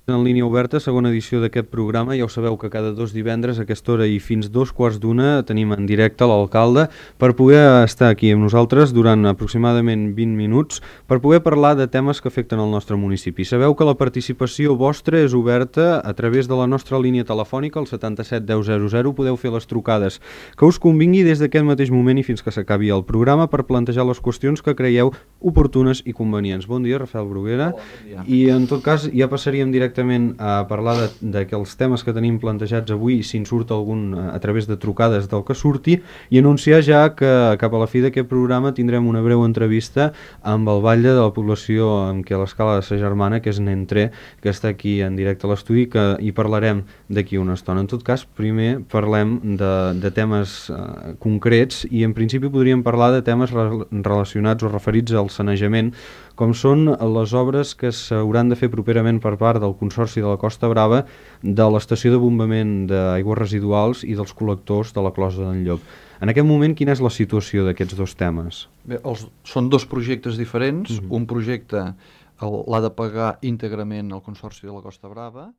En línia oberta, segona edició d'aquest programa. Ja ho sabeu que cada 2 divendres a aquesta hora i fins 2:15 tenim en directe l'alcalde per poder estar aquí amb nosaltres durant aproximadament 20 minuts per poder parlar de temes que afecten el nostre municipi. Sabeu que la participació vostra és oberta a través de la nostra línia telefònica, el 77 10 00. Podeu fer les trucades que us convingui des d'aquest mateix moment i fins que s'acabi el programa per plantejar les qüestions que creieu oportunes i convenients. Bon dia, Rafael Bruguera. Bon dia. I en tot cas ja passaríem directament a parlar de que els temes que tenim plantejats avui, si en surt algun a través de trucades del que surti, i anunciar ja que cap a la fi d'aquest programa tindrem una breu entrevista amb el batlle de la població amb què l'escala de sa germana, que és Nentré, que està aquí en directe a l'estudi, que hi parlarem d'aquí una estona. En tot cas, primer parlem de temes concrets i en principi podríem parlar de temes relacionats o referits al sanejament, com són les obres que s'hauran de fer properament per part del Consorci de la Costa Brava de l'estació de bombament d'aigües residuals i dels col·lectors de la Closa d'en Llop. En aquest moment, quina és la situació d'aquests dos temes? Bé, són dos projectes diferents. Un projecte l'ha de pagar íntegrament el Consorci de la Costa Brava